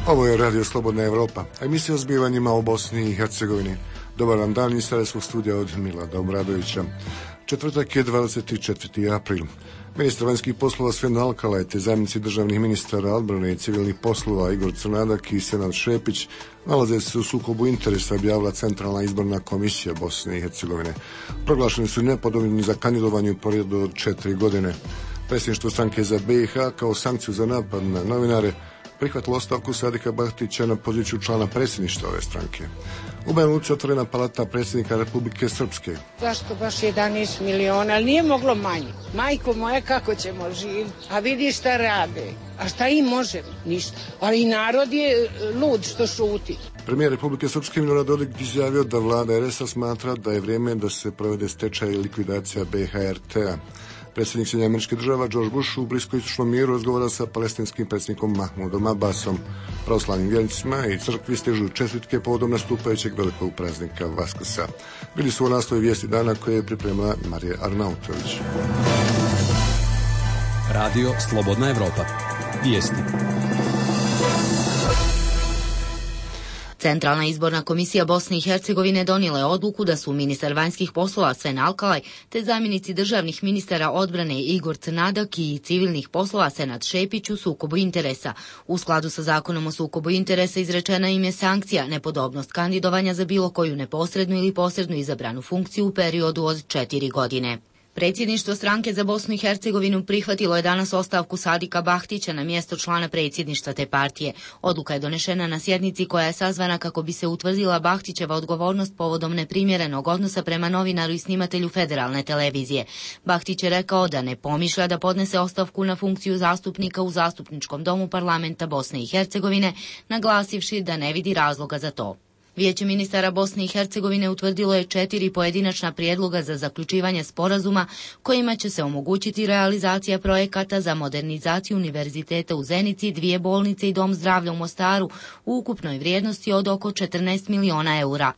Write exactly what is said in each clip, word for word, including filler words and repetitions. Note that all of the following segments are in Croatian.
Ovo je Radio Slobodna Evropa, emisija o zbivanjima u Bosni i Hercegovini. Dobar vam dan iz Sarajevskog studija od Milada Obradovića. Četvrtak je dvadeset četvrti april. Ministar vanjskih poslova Sven Alkalaj te zamjenici državnih ministara odbrane i civilnih poslova Igor Crnadak i Senad Šepić nalaze se u sukobu interesa, objavila Centralna izborna komisija Bosne i Hercegovine. Proglašeni su nepodobni za kandidovanje u periodu od četiri godine. Predsjedništvo stranke za B i H kao sankciju za napad na novinare prihvatilo ostavku Sadika Bahtića na poziciju člana predsjedništva ove stranke. U Banja Luci otvorena palata predsjednika Republike Srpske. Zašto baš jedanaest miliona, ali nije moglo manje. Majko moja, kako ćemo živjeti? A vidi šta rade. A šta im možemo? Ništa. Ali i narod je lud što šuti. Premijer Republike Srpske Milorad Dodik izjavio da vlada R S A smatra da je vrijeme da se provede stečaj i likvidacija B H R T-a. Predsjednik Sjedinjenih Američkih Država George Bush u bliskoistočnom miru razgovara sa palestinskim predsjednikom Mahmudom Abbasom. Pravoslavnim vjernicima i crkvi stižu čestitke povodom nastupajućeg velikog praznika Vaskrsa. Bili su u naslovi vijesti dana koje je pripremila Marija Arnautović. Radio Slobodna Evropa. Vijesti. Centralna izborna komisija Bosne i Hercegovine donijela je odluku da su ministar vanjskih poslova Sven Alkalaj te zamjenici državnih ministara odbrane Igor Crnadak i civilnih poslova Senad Šepić u sukobu interesa. U skladu sa zakonom o sukobu interesa izrečena im je sankcija nepodobnost kandidovanja za bilo koju neposrednu ili posrednu izabranu funkciju u periodu od četiri godine. Predsjedništvo stranke za Bosnu i Hercegovinu prihvatilo je danas ostavku Sadika Bahtića na mjesto člana predsjedništva te partije. Odluka je donešena na sjednici koja je sazvana kako bi se utvrdila Bahtićeva odgovornost povodom neprimjerenog odnosa prema novinaru i snimatelju federalne televizije. Bahtić je rekao da ne pomišlja da podnese ostavku na funkciju zastupnika u Zastupničkom domu parlamenta Bosne i Hercegovine, naglasivši da ne vidi razloga za to. Vijeće ministara Bosne i Hercegovine utvrdilo je četiri pojedinačna prijedloga za zaključivanje sporazuma kojima će se omogućiti realizacija projekata za modernizaciju univerziteta u Zenici, dvije bolnice i dom zdravlja u Mostaru u ukupnoj vrijednosti od oko četrnaest miliona eura.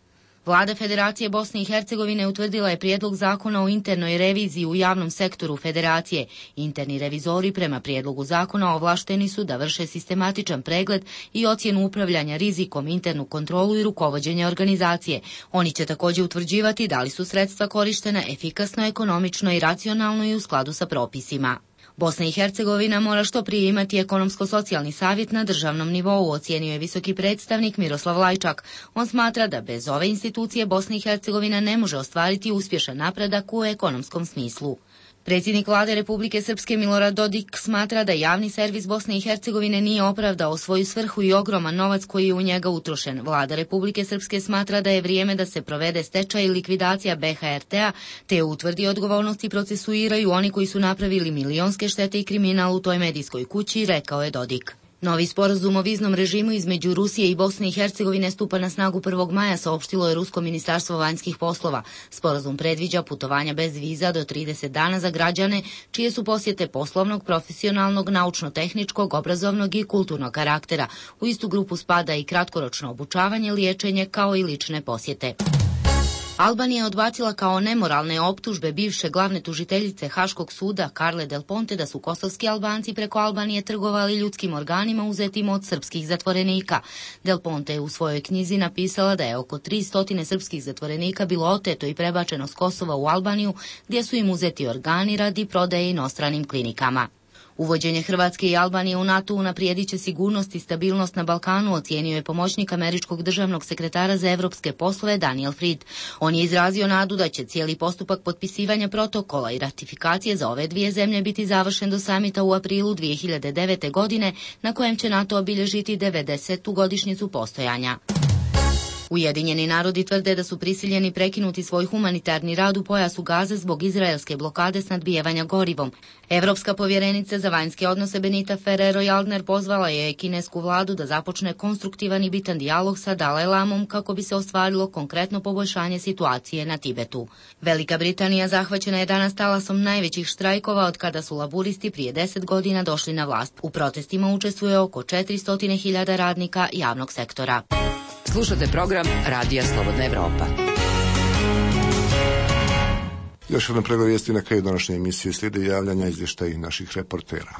Vlada Federacije Bosne i Hercegovine utvrdila je prijedlog zakona o internoj reviziji u javnom sektoru Federacije. Interni revizori prema prijedlogu zakona ovlašteni su da vrše sistematičan pregled i ocjenu upravljanja rizikom, internu kontrolu i rukovođenje organizacije. Oni će također utvrđivati da li su sredstva korištena efikasno, ekonomično i racionalno i u skladu sa propisima. Bosna i Hercegovina mora što prije imati ekonomsko-socijalni savjet na državnom nivou, ocijenio je visoki predstavnik Miroslav Lajčak. On smatra da bez ove institucije Bosna i Hercegovina ne može ostvariti uspješan napredak u ekonomskom smislu. Predsjednik vlade Republike Srpske Milorad Dodik smatra da javni servis Bosne i Hercegovine nije opravdao svoju svrhu i ogroman novac koji je u njega utrošen. Vlada Republike Srpske smatra da je vrijeme da se provede stečaj i likvidacija B H R T-a, te utvrdi odgovornost i procesuiraju oni koji su napravili milionske štete i kriminal u toj medijskoj kući, rekao je Dodik. Novi sporazum o viznom režimu između Rusije i Bosne i Hercegovine stupa na snagu prvog maja, saopštilo je Rusko ministarstvo vanjskih poslova. Sporazum predviđa putovanja bez viza do trideset dana za građane, čije su posjete poslovnog, profesionalnog, naučno-tehničkog, obrazovnog i kulturnog karaktera. U istu grupu spada i kratkoročno obučavanje, liječenje kao i lične posjete. Albanija je odbacila kao nemoralne optužbe bivše glavne tužiteljice Haškog suda Carle Del Ponte da su kosovski Albanci preko Albanije trgovali ljudskim organima uzetim od srpskih zatvorenika. Del Ponte je u svojoj knjizi napisala da je oko tristo srpskih zatvorenika bilo oteto i prebačeno s Kosova u Albaniju, gdje su im uzeti organi radi prodaje inostranim klinikama. Uvođenje Hrvatske i Albanije u NATO unaprijedit će sigurnost i stabilnost na Balkanu, ocijenio je pomoćnik američkog državnog sekretara za evropske poslove Daniel Fried. On je izrazio nadu da će cijeli postupak potpisivanja protokola i ratifikacije za ove dvije zemlje biti završen do samita u aprilu dvije hiljade devete. godine, na kojem će NATO obilježiti devedesetu godišnjicu postojanja. Ujedinjeni narodi tvrde da su prisiljeni prekinuti svoj humanitarni rad u pojasu Gaze zbog izraelske blokade snadbijevanja gorivom. Evropska povjerenica za vanjske odnose Benita Ferrero-Waldner pozvala je kinesku vladu da započne konstruktivan i bitan dijalog sa Dalaj Lamom kako bi se ostvarilo konkretno poboljšanje situacije na Tibetu. Velika Britanija zahvaćena je danas talasom najvećih štrajkova od kada su laburisti prije deset godina došli na vlast. U protestima učestvuje oko četiristo hiljada radnika javnog sektora. Slušate program Radija Slobodna Evropa. Još jednom pregled vijesti na kraju današnje emisije, slijede javljanja izvještaji naših reportera.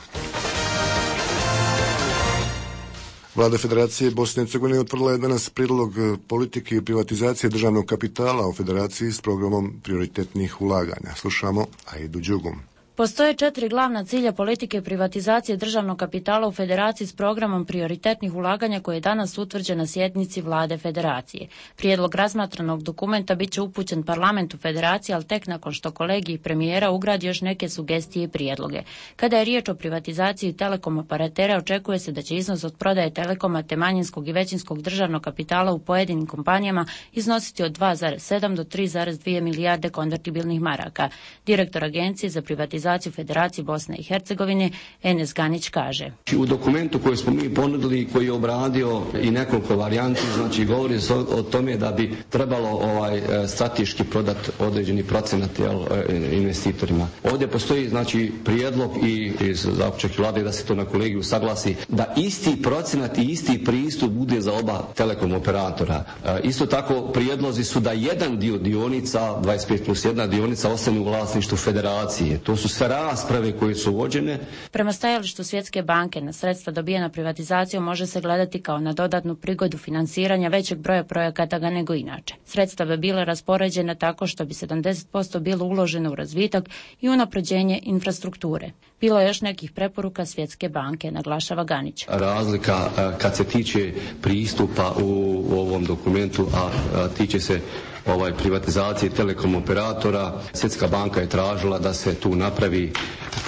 Vlada Federacije Bosne i Hercegovine utvrdila je danas prijedlog politike i privatizacije državnog kapitala u Federaciji s programom prioritetnih ulaganja. Slušamo Aidu Đugum. Postoje četiri glavna cilja politike privatizacije državnog kapitala u Federaciji s programom prioritetnih ulaganja koji je danas utvrđen na sjednici Vlade Federacije. Prijedlog razmatranog dokumenta bit će upućen parlamentu Federacije, ali tek nakon što kolegij premijera ugradi još neke sugestije i prijedloge. Kada je riječ o privatizaciji telekom operatera, očekuje se da će iznos od prodaje telekoma te manjinskog i većinskog državnog kapitala u pojedinim kompanijama iznositi od dva zarez sedam do tri zarez dvije milijarde konvertibilnih maraka. Direktor Agencije za privatizaciju Federacije Bosne i Hercegovine Enes Ganić kaže: U dokumentu koji smo mi ponudili, koji je obradio i nekoliko varijanti, znači govori se o, o tome da bi trebalo ovaj strateški prodati određeni procenat jel, investitorima. Ovdje postoji znači prijedlog i iz zaključaka Vlade da se to na kolegiju saglasi, da isti procenat i isti pristup bude za oba telekom operatora. E, isto tako prijedlozi su da jedan dio dionica, dvadeset pet plus jedna dionica, ostane u vlasništvu Federacije. To su sve rasprave koje su vođene. Prema stajalištu Svjetske banke, na sredstva dobijena privatizacijom može se gledati kao na dodatnu prigodu financiranja većeg broja projekata ga nego inače. Sredstva bi bila raspoređena tako što bi sedamdeset posto bilo uloženo u razvitak i unapređenje infrastrukture. Bilo je još nekih preporuka Svjetske banke, naglašava Ganić. Razlika kad se tiče pristupa u, u ovom dokumentu, a, a tiče se ovaj privatizacije telekom operatora, Svjetska banka je tražila da se tu napravi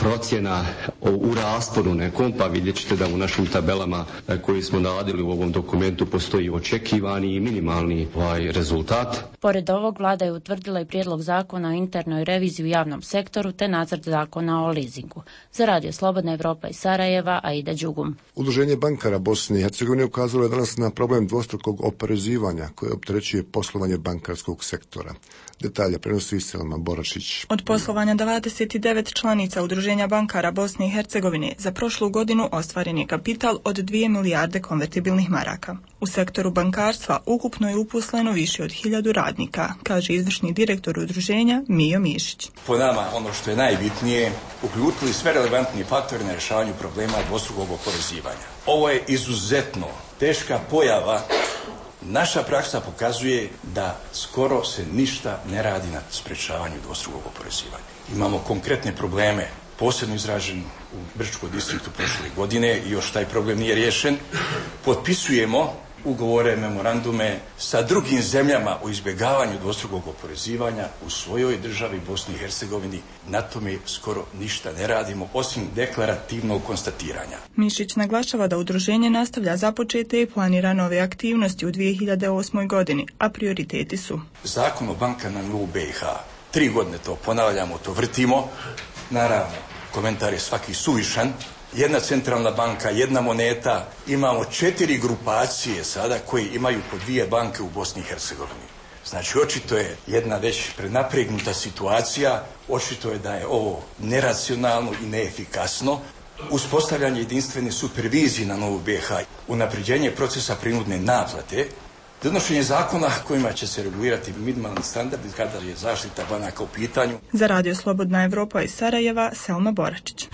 procjena u rasponu nekom, pa vidjet ćete da u našim tabelama koje smo nadali u ovom dokumentu postoji očekivani i minimalni ovaj rezultat. Pored ovog, vlada je utvrdila i prijedlog zakona o internoj reviziji u javnom sektoru te nacrt zakona o leasingu. Za Radio Slobodna Evropa iz Sarajeva, Aida Đugum. Udruženje bankara Bosne i Hercegovine ukazalo je danas na problem dvostrukog oporezivanja koje opterećuje poslovanje bankarskog sektora. Detalje prenosi Selma Borašić. Od poslovanja dvadeset devet članica Udruženja bankara Bosne i Hercegovine za prošlu godinu ostvaren je kapital od dvije milijarde konvertibilnih maraka. U sektoru bankarstva ukupno je uposleno više od hiljadu radnika, kaže izvršni direktor udruženja Mijo Mišić. Po nama ono što je najbitnije, uključili sve relevantni faktori na rješavanju problema dvostrukog oporezivanja. Ovo je izuzetno teška pojava. Naša praksa pokazuje da skoro se ništa ne radi na sprečavanju dvostrukog oporezivanja. Imamo konkretne probleme, posebno izražen u Brčkom distriktu prošle godine i još taj problem nije riješen. Potpisujemo ugovore, memorandume sa drugim zemljama o izbjegavanju dvostrukog oporezivanja u svojoj državi Bosni i Hercegovini. Na tome skoro ništa ne radimo, osim deklarativnog konstatiranja. Mišić naglašava da udruženje nastavlja započete i planira nove aktivnosti u dvije hiljade osmoj godini, a prioriteti su Zakon o bankama u B i H. Tri godine to ponavljamo, to vrtimo. Naravno, komentar je svaki suvišan. Jedna centralna banka, jedna moneta, imamo četiri grupacije sada koji imaju po dvije banke u Bosni i Hercegovini. Znači, očito je jedna već prenapregnuta situacija, očito je da je ovo neracionalno i neefikasno. Uspostavljanje jedinstvene supervizije na novu B i H, unapređenje procesa prinudne naplate, donošenje zakona kojima će se regulirati minimalni standardi kada je zaštita banaka u pitanju. Za Radio Slobodna Evropa iz Sarajeva, Selma Boračić.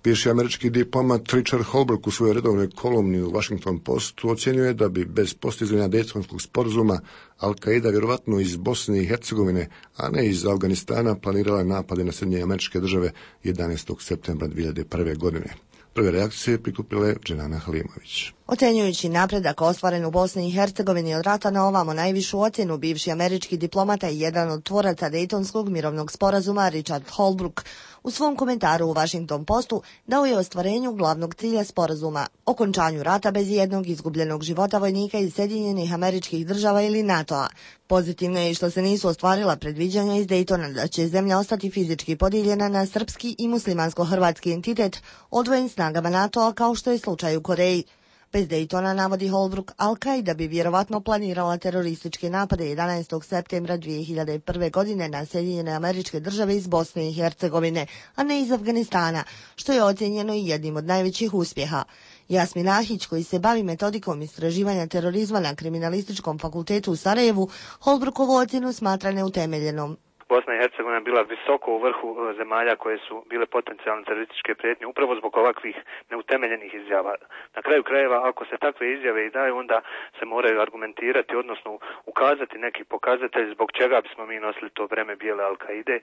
Bivši američki diplomat Richard Holbrooke u svojoj redovnoj kolumni u Washington Postu ocjenjuje da bi bez postizanja Dejtonskog sporazuma Al-Qaida vjerovatno iz Bosne i Hercegovine, a ne iz Afganistana, planirala napade na Sjedinjene Američke Države jedanaestog septembra dvije hiljade prve godine. Prve reakcije prikupila je Dženana Halimović. Ocjenjujući napredak ostvaren u Bosni i Hercegovini od rata na ovamo, najvišu ocjenu bivši američki diplomata i jedan od tvoraca Dejtonskog mirovnog sporazuma Richard Holbrooke u svom komentaru u Washington Postu dao je ostvarenju glavnog cilja sporazuma, okončanju rata bez jednog izgubljenog života vojnika iz Sjedinjenih Američkih Država ili NATO-a. Pozitivno je i što se nisu ostvarila predviđanja iz Dejtona da će zemlja ostati fizički podijeljena na srpski i muslimansko-hrvatski entitet odvojen snagama NATO-a kao što je slučaj u Koreji. Bez Dejtona, navodi Holbrooke, Al-Qaida bi vjerovatno planirala terorističke napade jedanaestog septembra dvije hiljade prve godine na Sjedinjene Američke Države iz Bosne i Hercegovine, a ne iz Afganistana, što je ocjenjeno i jednim od najvećih uspjeha. Jasmin Ahić, koji se bavi metodikom istraživanja terorizma na Kriminalističkom fakultetu u Sarajevu, Holbrookovu ocjenu smatra neutemeljenom. Bosna i Hercegovina bila visoko u vrhu zemalja koje su bile potencijalne terorističke prijetnje upravo zbog ovakvih neutemeljenih izjava. Na kraju krajeva, ako se takve izjave i daju, onda se moraju argumentirati, odnosno ukazati neki pokazatelj zbog čega bismo mi nosili to breme bijele Al-Kaide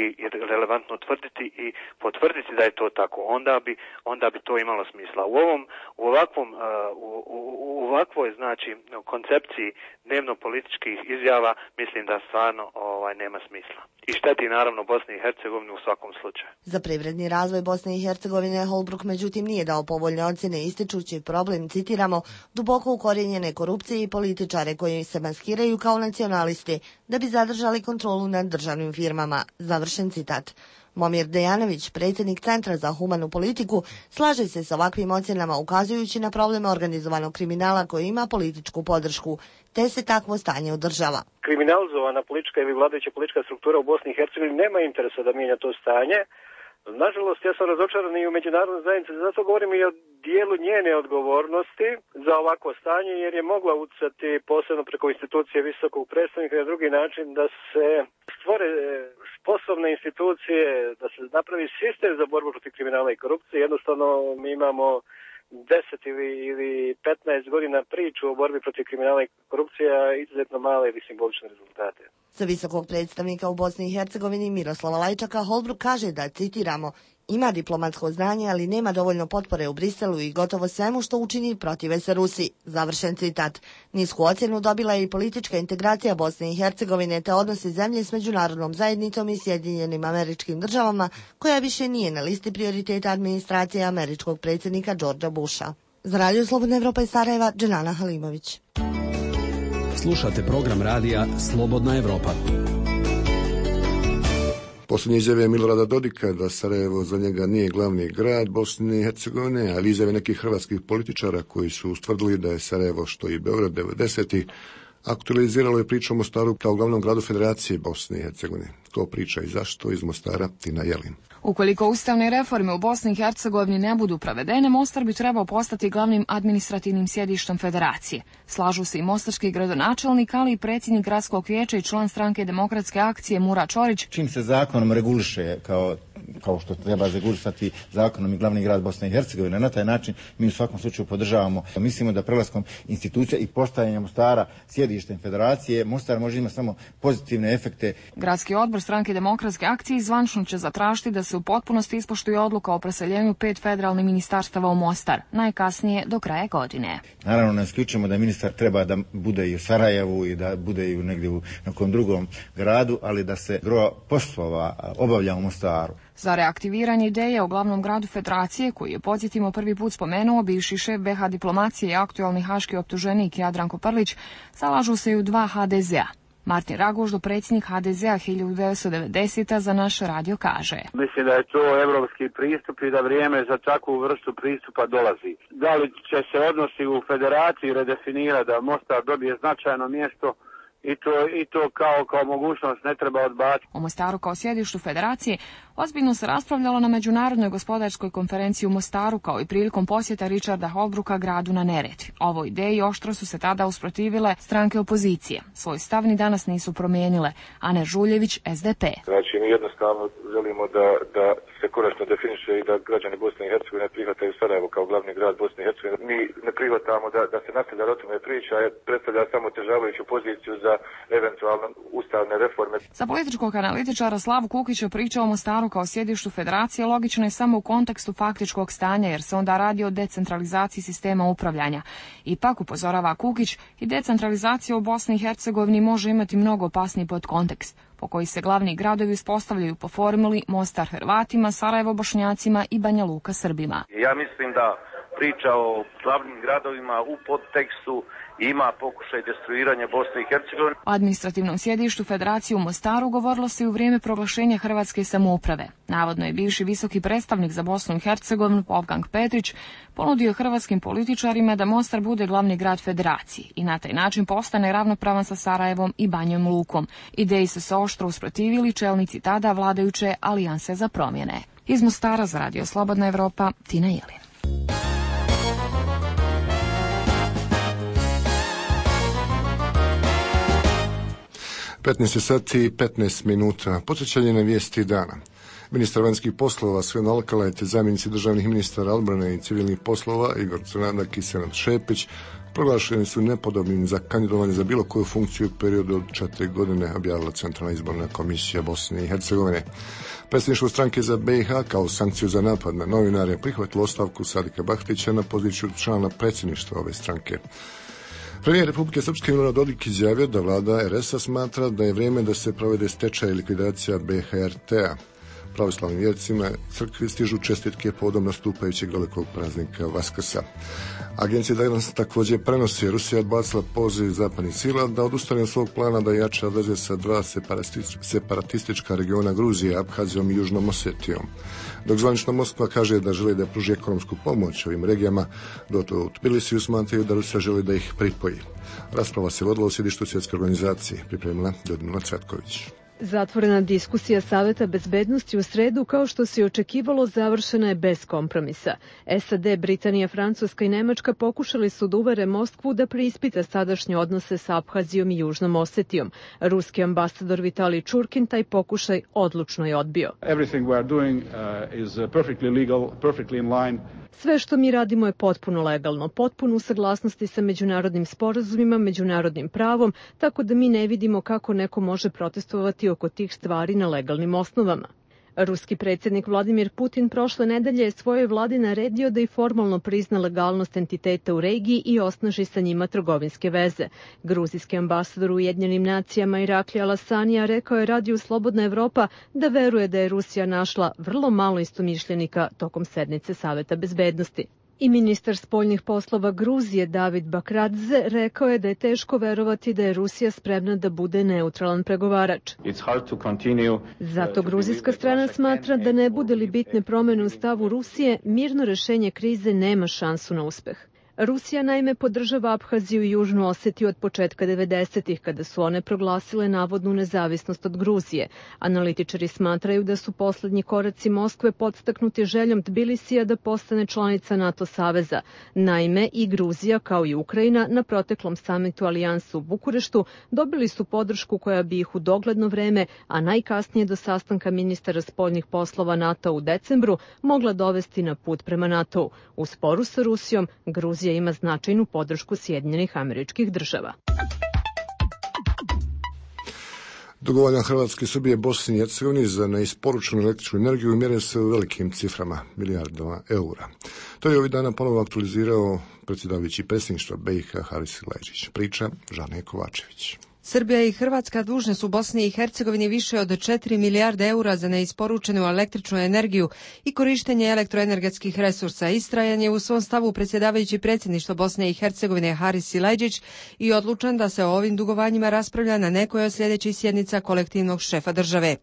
i, i relevantno tvrditi i potvrditi da je to tako. Onda bi, onda bi to imalo smisla. U ovom, u ovakvom, u, u, u ovakvoj, znači, koncepciji dnevno-političkih izjava mislim da stvarno ovaj, nema smisla. I šteti naravno Bosni i Hercegovini u svakom slučaju. Za privredni razvoj Bosne i Hercegovine Holbruk međutim nije dao povoljne ocjene ističući problem, citiramo, duboko ukorijenjene korupcije i političare koji se maskiraju kao nacionalisti da bi zadržali kontrolu nad državnim firmama. Završen citat. Momir Dejanović, predsjednik Centra za humanu politiku, slaže se s ovakvim ocjenama ukazujući na probleme organizovanog kriminala koji ima političku podršku, te se takvo stanje održava. Kriminalizovana politička ili vladajuća politička struktura u Bosni i Hercegovini nema interesa da mijenja to stanje. Nažalost, ja sam razočaran i u međunarodnoj zajednici, zato govorim i o dijelu njene odgovornosti za ovakvo stanje, jer je mogla utjecati posebno preko institucije visokog predstavnika na drugi način da se stvore sposobne institucije, da se napravi sistem za borbu protiv kriminala i korupcije. Jednostavno mi imamo deset ili, ili petnaest godina priču o borbi protiv kriminala i korupcije, a izuzetno male ili simbolične rezultate. Za visokog predstavnika u Bosni i Hercegovini Miroslava Lajčaka Holbruk kaže da, citiramo, ima diplomatsko znanje, ali nema dovoljno potpore u Briselu i gotovo svemu što učini protive se Rusiji. Završen citat. Nisku ocjenu dobila je i politička integracija Bosne i Hercegovine te odnosi zemlje s međunarodnom zajednicom i Sjedinjenim Američkim Državama, koja više nije na listi prioriteta administracije američkog predsjednika Georgea Busha. Za Radio Slobodna Evropa iz Sarajeva, Dženana Halimović. Slušate program radija Slobodna Evropa. Posljednje izjave Milorada Dodika da Sarajevo za njega nije glavni grad Bosne i Hercegovine, ali izjave nekih hrvatskih političara koji su ustvrdili da je Sarajevo što i Beograd devedesetih aktualiziralo je priču o Mostaru kao glavnom gradu Federacije Bosne i Hercegovine. To priča i zašto iz Mostara Tina Jelin. Ukoliko ustavne reforme u Bosni i Hercegovini ne budu provedene, Mostar bi trebao postati glavnim administrativnim sjedištem federacije. Slažu se i mostarski gradonačelnik, ali i predsjednik gradskog vijeća i član stranke Demokratske akcije Mura Čorić. Čim se zakonom reguliše kao kao što treba regulisati zakonom i glavni grad Bosne i Hercegovine. Na taj način mi u svakom slučaju podržavamo. Mislimo da prelaskom institucija i postajanjem Mostara sjedištem federacije, Mostar može imati samo pozitivne efekte. Gradski odbor stranke Demokratske akcije zvančno će zatražiti da se u potpunosti ispoštuje odluka o preseljenju pet federalnih ministarstava u Mostar, najkasnije do kraja godine. Naravno, ne isključujemo da ministar treba da bude i u Sarajevu i da bude i u negdje u nekom drugom gradu, ali da se gro poslova obavlja u Mostaru. Za reaktiviranje ideje o glavnom gradu federacije, koji je, podsjetimo, prvi put spomenuo bivši šef be ha diplomacije i aktualni haški optuženik Jadranko Prlić, zalažu se i u dva ha de zea. Martin Raguždo, predsjednik ha de zea hiljadu devetsto devedesete za naš radio kaže. Mislim da je to evropski pristup i da vrijeme za takvu vrstu pristupa dolazi. Da li će se odnosi u federaciji redefinirati da Mostar dobije značajno mjesto, I to, i to kao, kao mogućnost ne treba odbaciti. O Mostaru kao sjedištu federacije ozbiljno se raspravljalo na Međunarodnoj gospodarskoj konferenciji u Mostaru, kao i prilikom posjeta Richarda Holbrooka gradu na Neretvi. Ovoj ideji oštro su se tada usprotivile stranke opozicije. Svoj stav ni danas nisu promijenile. Ana Žuljević, es de pe. Znači, mi jednostavno želimo da, da se konačno definiše i da građani Bosne i Hercegovine prihvataju Sarajevo kao glavni grad Bosne i Hercegovine. Mi ne prihvatamo da, da se nastavlja o tome priča, jer predstavlja samo otežavajuću poziciju za eventualno ustavne reforme. Za političkog analitičara Slavu Kukića priča o Mostaru kao sjedištu federacije logično je samo u kontekstu faktičkog stanja, jer se onda radi o decentralizaciji sistema upravljanja. Ipak, upozorava Kukić, i decentralizacija u Bosni i Hercegovini može imati mnogo opasniji podkontekst, po koji se glavni gradovi uspostavljaju po formuli Mostar Hrvatima, Sarajevo Bošnjacima i Banja Luka Srbima. Ja mislim da priča o glavnim gradovima u podtekstu ima pokušaj destruiranja Bosne i Hercegovine. O administrativnom sjedištu federacije u Mostaru govorilo se i u vrijeme proglašenja hrvatske samouprave. Navodno je bivši visoki predstavnik za Bosnu i Hercegovinu Wolfgang Petrić ponudio hrvatskim političarima da Mostar bude glavni grad federacije i na taj način postane ravnopravan sa Sarajevom i Banjom Lukom. Ideji su se oštro usprotivili čelnici tada vladajuće Alijanse za promjene. Iz Mostara za Radio Slobodna Evropa, Tina Jelin. petnaest sati i petnaest minuta. Podsjećanje na vijesti dana. Ministar vanjskih poslova Sven Alkalaj te zamjenici državnih ministara odbrane i civilnih poslova Igor Crnadak i Senad Šepić proglašeni su nepodobnim za kandidovanje za bilo koju funkciju u periodu od četiri godine, objavila Centralna izborna komisija Bosne i Hercegovine. Predsjedništvo stranke za B i H kao sankciju za napad na novinare prihvatilo ostavku Sadika Bahtića na poziciju člana predsjedništva ove stranke. Premijer Republike Srpske Milorad Dodik izjavio da vlada er es a smatra da je vrijeme da se provede stečaj i likvidacija be ha er te-a. Pravoslavnim vjernicima crkvi stižu čestitke povodom nastupajućeg velikog praznika Vaskrsa. Agencija danas također prenosi Rusija odbacila poziv zapadnih sila da odustane od svog plana da jača veze sa dva separatistička regiona Gruzije, Abhazijom i Južnom Osetijom. Dok zvanična Moskva kaže da želi da pruži ekonomsku pomoć ovim regijama, dok u Tbilisiju smatraju da Rusija želi da ih pripoji. Rasprava se vodila u sjedištu svjetske organizacije, pripremila Ljudmila Cvetković. Zatvorena diskusija Saveta bezbednosti u sredu, kao što se očekivalo, završena je bez kompromisa. es a de, Britanija, Francuska i Nemačka pokušali su da uvere Moskvu da preispita sadašnje odnose sa Abhazijom i Južnom Osetijom. Ruski ambasador Vitalij Čurkin taj pokušaj odlučno je odbio. Everything we are doing uh, is perfectly legal, perfectly in line. Sve što mi radimo je potpuno legalno, potpuno u saglasnosti sa međunarodnim sporazumima, međunarodnim pravom, tako da mi ne vidimo kako neko može protestovati oko tih stvari na legalnim osnovama. Ruski predsjednik Vladimir Putin prošle nedelje je svojoj vladi naredio da i formalno prizna legalnost entiteta u regiji i osnaži sa njima trgovinske veze. Gruzijski ambasador u Ujedinjenim nacijama Irakli Alasanija rekao je radiju Slobodna Evropa da veruje da je Rusija našla vrlo malo istomišljenika tokom sednice Saveta bezbednosti. I ministar spoljnih poslova Gruzije David Bakradze rekao je da je teško verovati da je Rusija spremna da bude neutralan pregovarač. Zato gruzijska strana smatra da ne bude li bitne promjene u stavu Rusije, mirno rešenje krize nema šansu na uspeh. Rusija naime podržava Abhaziju i Južnu Osetiju od početka devedesetih, kada su one proglasile navodnu nezavisnost od Gruzije. Analitičari smatraju da su poslednji koraci Moskve podstaknuti željom Tbilisija da postane članica NATO saveza. Naime, i Gruzija kao i Ukrajina na proteklom samitu Alijansa u Bukureštu dobili su podršku koja bi ih u dogledno vreme, a najkasnije do sastanka ministara spoljnih poslova NATO u decembru, mogla dovesti na put prema NATO-u. U sporu sa Rusijom, Gruzija ima značajnu podršku Sjedinjenih Američkih Država. Dugovanja Hrvatske i Srbije Bosni i Hercegovini za neisporučenu električnu energiju mjere se u velikim ciframa, milijardama eura. To je ovih dana ponovo aktualizirao predsjedavajući predsjedništva be i ha Haris Silajdžić. Priča Žane Kovačević. Srbija i Hrvatska dužne su Bosni i Hercegovini više od četiri milijarde eura za neisporučenu električnu energiju i korištenje elektroenergetskih resursa. Istrajan je u svom stavu predsjedavajući predsjedništva Bosne i Hercegovine Haris Silajdžić i odlučan da se o ovim dugovanjima raspravlja na nekoj od sljedećih sjednica kolektivnog šefa države.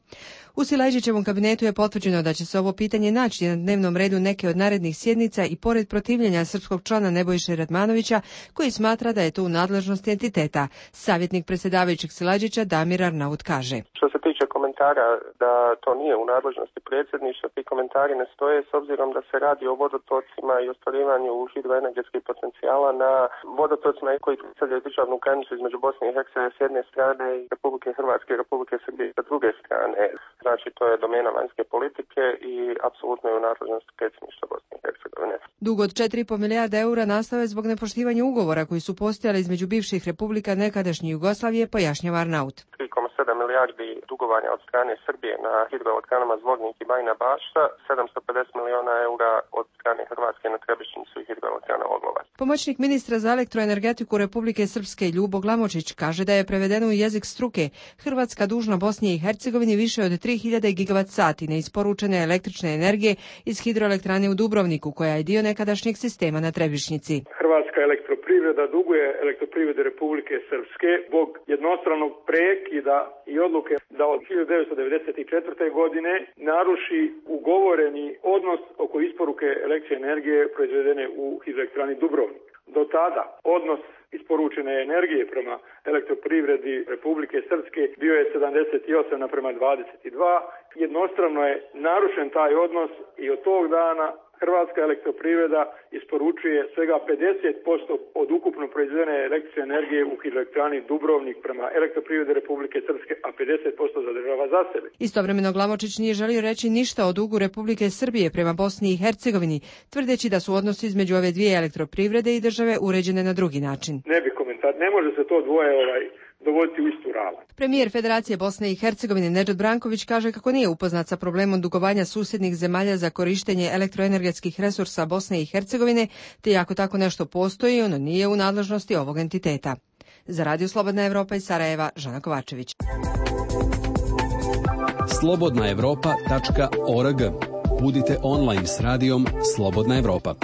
U Silajdžićevom kabinetu je potvrđeno da će se ovo pitanje naći na dnevnom redu neke od narednih sjednica i pored protivljenja srpskog člana Nebojše Radmanovića, koji smatra da je to u nadležnosti entiteta. Savjetnik predsjedavajućeg Silajdžića Damir Arnaut kaže: Što se tiče komentara da to nije u nadležnosti predsjedništva, ti komentari ne stoje s obzirom da se radi o vodotocima i ostvarivanju hidroenergetskih potencijala na vodotocima koji predstavljaju državnu granicu između Bosne i Hercegovine s jedne strane i Republike Hrvatske i Republike Srbije sa druge strane. Znači, to je domena vanjske politike i apsolutno je u nadležnosti predsjedništva Bosne i Hercegovine. Dug od četiri i po milijarde eura nastao je zbog nepoštivanja ugovora koji su postojali između bivših republika nekadašnje Jugoslavije, pojašnjava Arnaut. tri zarez sedam milijardi dugovanja od strane Srbije na hidroelektranama Zvornik i Bajina Bašta, sedamsto pedeset miliona eura od strane Hrvatske na Trebišnjicu i hidroelektrana Oglovac. Pomoćnik ministra za elektroenergetiku Republike Srpske Ljubo Glamočić kaže da je prevedeno u jezik struke Hrvatska dužna Bosni i Hercegovini više od tri hiljade gigavat sati neisporučene električne energije iz hidroelektrane u Dubrovniku, koja je dio nekadašnjeg sistema na Trebišnjici. Hrvatska elektroprivreda duguje elektroprivrede Republike Srpske zbog jednostranog prekida i odluke da od hiljadu devetsto devedeset četvrte. godine naruši ugovoreni odnos oko isporuke električne energije proizvedene u hidroelektrani Dubrovnik. Do tada odnos isporučene energije prema elektroprivredi Republike Srpske bio je sedamdeset osam naprema dvadeset dva. Jednostrano je narušen taj odnos i od tog dana Hrvatska elektroprivreda isporučuje svega pedeset posto od ukupno proizvedene električne energije u hidroelektrani Dubrovnik prema Elektroprivrede Republike Srpske, a pedeset posto zadržava za sebe. Istovremeno Glamočić nije želio reći ništa o dugu Republike Srbije prema Bosni i Hercegovini, tvrdeći da su odnosi između ove dvije elektroprivrede i države uređene na drugi način. Ne bi komentar, ne može se to dvoje ovaj dovoditi u istu ravan. Premijer Federacije Bosne i Hercegovine Nedžad Branković kaže kako nije upoznat sa problemom dugovanja susjednih zemalja za korištenje elektroenergetskih resursa Bosne i Hercegovine, te ako tako nešto postoji, ono nije u nadležnosti ovog entiteta. Za Radio Slobodna Evropa iz Sarajeva, Žana Kovačević. slobodna evropa tačka org. Budite online s radijom Slobodna Evropa.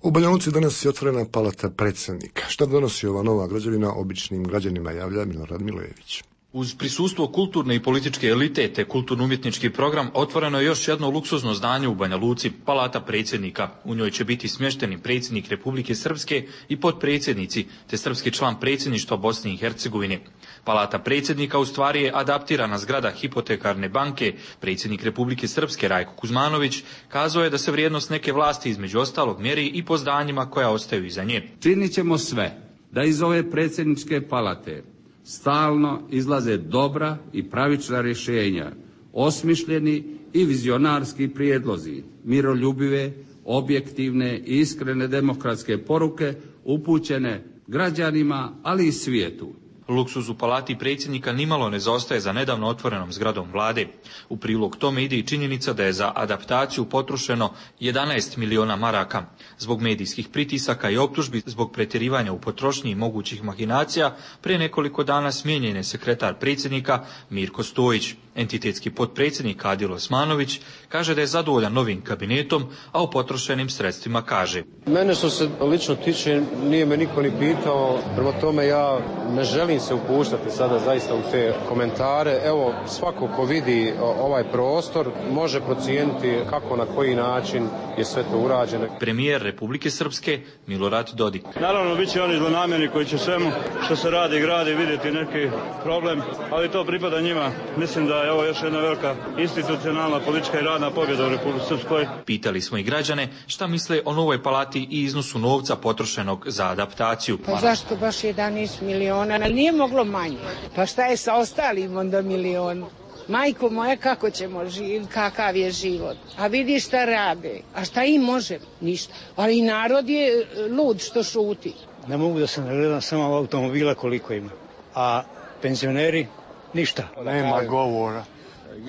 U Banja Luci danas je otvorena palata predsjednika. Šta donosi ova nova građevina običnim građanima, javlja Milorad Milojević. Uz prisustvo kulturne i političke elite te kulturno-umjetnički program otvoreno je još jedno luksuzno zdanje u Banja Luci, palata predsjednika. U njoj će biti smješteni predsjednik Republike Srpske i potpredsjednici, te srpski član predsjedništva Bosne i Hercegovine. Palata predsjednika u stvari je adaptirana zgrada hipotekarne banke. Predsjednik Republike Srpske Rajko Kuzmanović kazao je da se vrijednost neke vlasti između ostalog mjeri i po zdanjima koja ostaju iza nje. Činit ćemo sve da iz ove predsjedničke palate stalno izlaze dobra i pravična rješenja, osmišljeni i vizionarski prijedlozi, miroljubive, objektivne i iskrene demokratske poruke upućene građanima, ali i svijetu. Luksuz u palati predsjednika nimalo ne zaostaje za nedavno otvorenom zgradom vlade. U prilog tome ide i činjenica da je za adaptaciju potrošeno jedanaest miliona maraka. Zbog medijskih pritisaka i optužbi zbog pretjerivanja u potrošnji i mogućih mahinacija, prije nekoliko dana smijenjen je sekretar predsjednika Mirko Stojić. Entitetski potpredsjednik Adil Osmanović kaže da je zadovoljan novim kabinetom, a o potrošenim sredstvima kaže: Mene što se lično tiče nije me niko ni pitao, prema tome ja ne želim se upuštati sada zaista u te komentare. Evo, svako ko vidi ovaj prostor može procijeniti kako, na koji način je sve to urađeno. Premijer Republike Srpske Milorad Dodik. Naravno, bit će oni zlonamjerni koji će svemu što se radi i gradi vidjeti neki problem, ali to pripada njima. Mislim da je ovo još jedna velika institucionalna politička i radna pobjeda u Republici Srpskoj. Pitali smo i građane šta misle o novoj palati i iznosu novca potrošenog za adaptaciju. Pa zašto baš jedanaest miliona? Nije moglo manje. Pa šta je sa ostalim onda milion? Majko moja, kako ćemo živjeti, kakav je život? A vidi šta rade. A šta im može? Ništa. Ali i narod je lud što šuti. Ne mogu da se nagledam samo automobila koliko ima. A penzioneri? Ništa. Nema govora.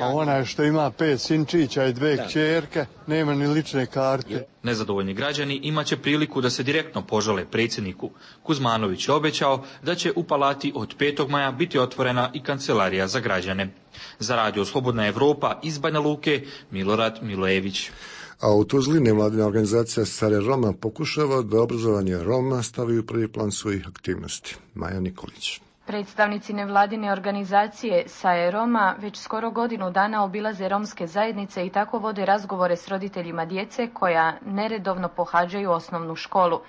A onaj što ima pet sinčića i dve kćerke, nema ni lične karte. Nezadovoljni građani imaće priliku da se direktno požale predsjedniku. Kuzmanović je obećao da će u palati od petog maja biti otvorena i kancelarija za građane. Za Radio Slobodna Evropa iz Banja Luke, Milorad Milojević. A u Tuzli nevladina organizacija Sare Roma pokušava da obrazovanje Roma stavi u prvi plan svojih aktivnosti. Maja Nikolić. Predstavnici nevladine organizacije Sae Roma već skoro godinu dana obilaze romske zajednice i tako vode razgovore s roditeljima djece koja neredovno pohađaju osnovnu školu.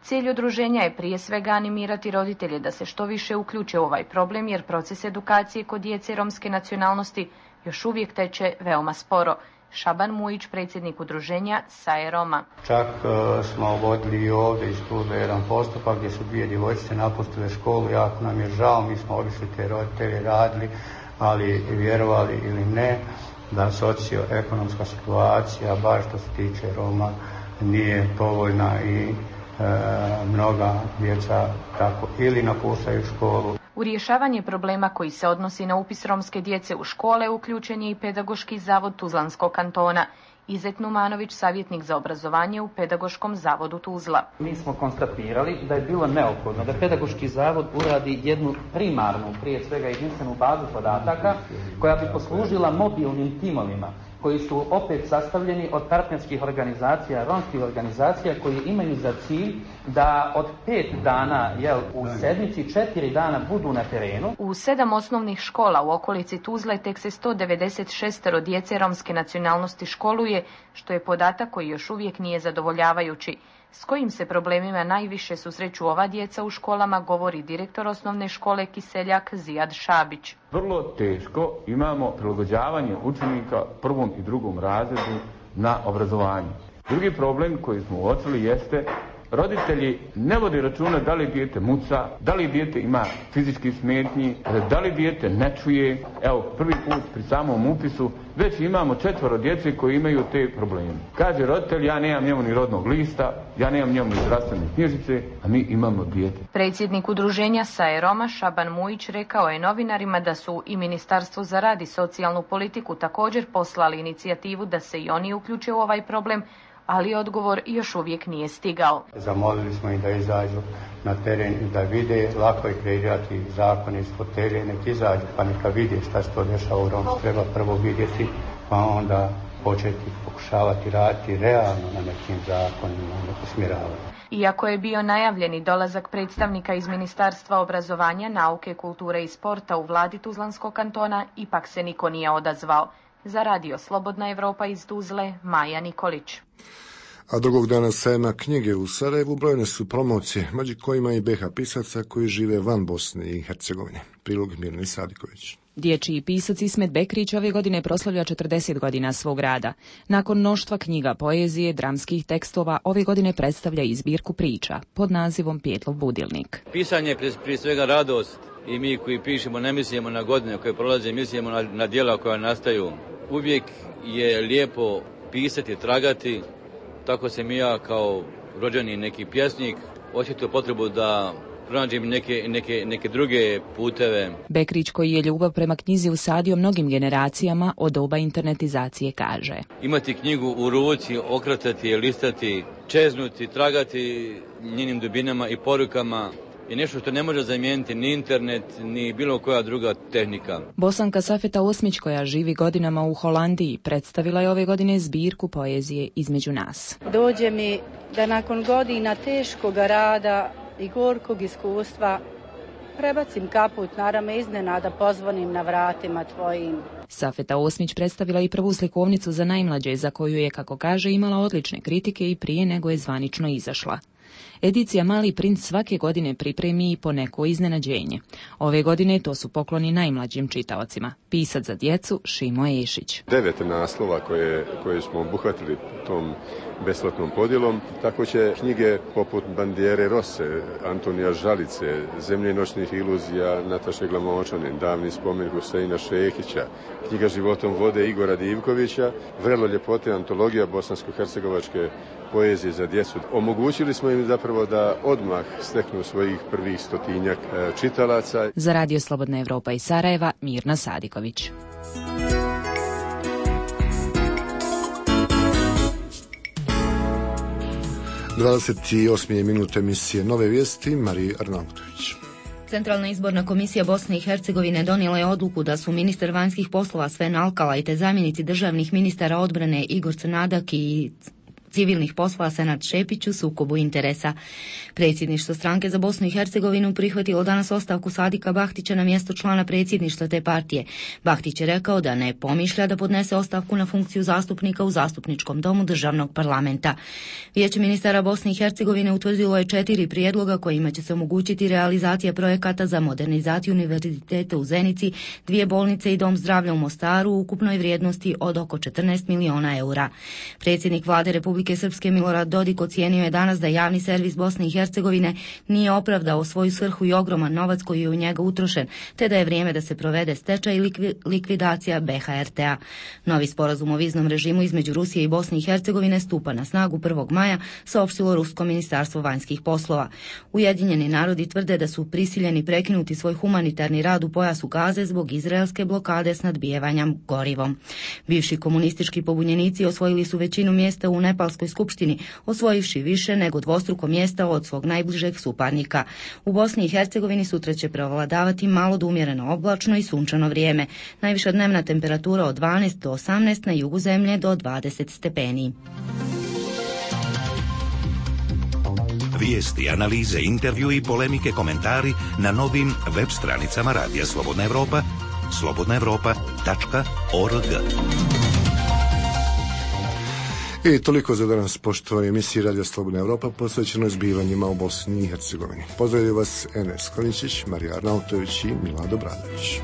Cilj udruženja je prije svega animirati roditelje da se što više uključe u ovaj problem, jer proces edukacije kod djece romske nacionalnosti još uvijek teče veoma sporo. Šaban Mujić, predsjednik udruženja Sae Roma. Čak uh, smo vodili i ovdje iz službe jedan postupak gdje su dvije djevojčice napustile školu. Jako nam je žao, mi smo obišli te roditelje, radili, ali vjerovali ili ne, da socioekonomska situacija, baš što se tiče Roma, nije povoljna i e, mnoga djeca tako ili napuštaju školu. U rješavanje problema koji se odnosi na upis romske djece u škole uključen je i Pedagoški zavod Tuzlanskog kantona. Izet Numanović, savjetnik za obrazovanje u Pedagoškom zavodu Tuzla. Mi smo konstatirali da je bilo neophodno da Pedagoški zavod uradi jednu primarnu, prije svega jedinstvenu bazu podataka koja bi poslužila mobilnim timovima koji su opet sastavljeni od partnerskih organizacija, romskih organizacija koji imaju za cilj da od pet dana jel, u sedmici četiri dana budu na terenu. U sedam osnovnih škola u okolici Tuzle tek se sto devedeset šest djece romske nacionalnosti školuje, što je podatak koji još uvijek nije zadovoljavajući. S kojim se problemima najviše susreću ova djeca u školama, govori direktor osnovne škole Kiseljak Zijad Šabić. Vrlo teško imamo prilagođavanje učenika prvom i drugom razredu na obrazovanje. Drugi problem koji smo uočili jeste roditelji ne vode računa da li dijete muca, da li dijete ima fizički smetnji, da li dijete ne čuje. Evo, prvi put pri samom upisu već imamo četvoro djece koji imaju te probleme. Kaže roditelj, ja nemam njemu ni rodnog lista, ja nemam njemu ni zdravstvene knjižice, a mi imamo dijete. Predsjednik udruženja Saje Roma Šaban Mujić rekao je novinarima da su i Ministarstvo za rad i socijalnu politiku također poslali inicijativu da se i oni uključe u ovaj problem, ali odgovor još uvijek nije stigao. Zamolili smo ih da izađu na teren i da vide, lako je kreirati zakon iz fotelje, nek izađu pa neka vide šta se to dešava u Romsku. Treba prvo vidjeti pa onda početi pokušavati raditi realno na nekim zakonima, na usmjeravanju. Iako je bio najavljeni dolazak predstavnika iz Ministarstva obrazovanja, nauke, kulture i sporta u vladi Tuzlanskog kantona, ipak se niko nije odazvao. Za radio Slobodna Evropa iz Tuzle, Maja Nikolić. A drugog dana sajma knjige u Sarajevu brojne su promocije, među kojima i B H pisaca koji žive van Bosne i Hercegovine. Prilog Mirne Sadiković. Dječji pisac Ismet Bekrić ove godine proslavlja četrdeset godina svog rada. Nakon mnoštva knjiga, poezije, dramskih tekstova, ove godine predstavlja i zbirku priča pod nazivom Pjetlov budilnik. Pisanje je prije svega radost i mi koji pišemo ne mislimo na godine koje prolaze, mislimo na, na djela koja nastaju. Uvijek je lijepo pisati, tragati, tako sam i ja kao rođeni neki pjesnik osjetio potrebu da pronađem neke, neke, neke druge puteve. Bekrić, koji je ljubav prema knjizi usadio mnogim generacijama od doba internetizacije, kaže: imati knjigu u ruci, okretati je, listati, čeznuti, tragati njenim dubinama i porukama je nešto što ne može zamijeniti ni internet, ni bilo koja druga tehnika. Bosanka Safeta Osmić, koja živi godinama u Holandiji, predstavila je ove godine zbirku poezije Između nas. Dođe mi da nakon godina teškog rada i gorkog iskustva prebacim kaput na rame, iznenada pozvonim na vratima tvojim. Safeta Osmić predstavila i prvu slikovnicu za najmlađe, za koju je, kako kaže, imala odlične kritike i prije nego je zvanično izašla. Edicija Mali princ svake godine pripremi i po neko iznenađenje. Ove godine to su pokloni najmlađim čitaocima. Pisac za djecu Šimo Ešić. Devet naslova koje, koje smo obuhvatili tom besplatnom podjelom. Tako će knjige poput Bandijere Rose, Antonija Žalice, Zemlje noćnih iluzija Nataše Glamočanin, Davni spomen Huseina Šehića, knjiga Životom vode Igora Divkovića, Vrelo ljepote, antologija bosansko-hercegovačke poezije za djecu. Omogućili smo im zapravo da odmah steknu svojih prvih stotinjak čitalaca. Za radio Slobodna Evropa iz Sarajeva, Mirna Sadiković. dvadeset osme minute emisije Nove vijesti, Marija Arnautović. Centralna izborna komisija Bosne i Hercegovine donijela je odluku da su ministar vanjskih poslova Sven Alkalaj te zamjenici državnih ministara odbrane Igor Crnadak i civilnih poslova Senad Šepić u sukobu interesa. Predsjedništvo stranke za Bosnu i Hercegovinu prihvatilo danas ostavku Sadika Bahtića na mjesto člana predsjedništva te partije. Bahtić je rekao da ne pomišlja da podnese ostavku na funkciju zastupnika u zastupničkom domu državnog parlamenta. Vijeće ministara Bosne i Hercegovine utvrdilo je četiri prijedloga kojima će se omogućiti realizacija projekata za modernizaciju univerziteta u Zenici, dvije bolnice i dom zdravlja u Mostaru u ukupnoj vrijednosti od oko četrnaest miliona eura. Predsjednik vlade Republike Srpske Milorad Dodik ocijenio je danas da javni servis Bosne i Hercegovine nije opravdao svoju svrhu i ogroman novac koji je u njega utrošen, te da je vrijeme da se provede stečaj i likvidacija B H R T-a. Novi sporazum o viznom režimu između Rusije i Bosne i Hercegovine stupa na snagu prvog maja, saopštilo Rusko ministarstvo vanjskih poslova. Ujedinjeni narodi tvrde da su prisiljeni prekinuti svoj humanitarni rad u pojasu Gaze zbog izraelske blokade s nadbijevanjem gorivom. Bivši komunistički pobunjenici osvojili su većinu mjesta u Nepalskoj skupštini, osvojivši više nego dvostruko mjesta od svog najbližeg suparnika. U Bosni i Hercegovini sutra će prevladavati malo do umjereno oblačno i sunčano vrijeme. Najviša dnevna temperatura od dvanaest do osamnaest, na jugu zemlje do dvadeset stepeni. Vijesti, analize, intervju i polemike, komentari na novim web stranicama Radija Slobodna Evropa, slobodna evropa tačka org. I toliko za danas, poštovani emisiji Radija Slobodna Evropa, posvećeno zbivanjima u Bosni i Hercegovini. Pozdravljaju vas Enes Kliničić, Marija Arnautović i Milado Bradović.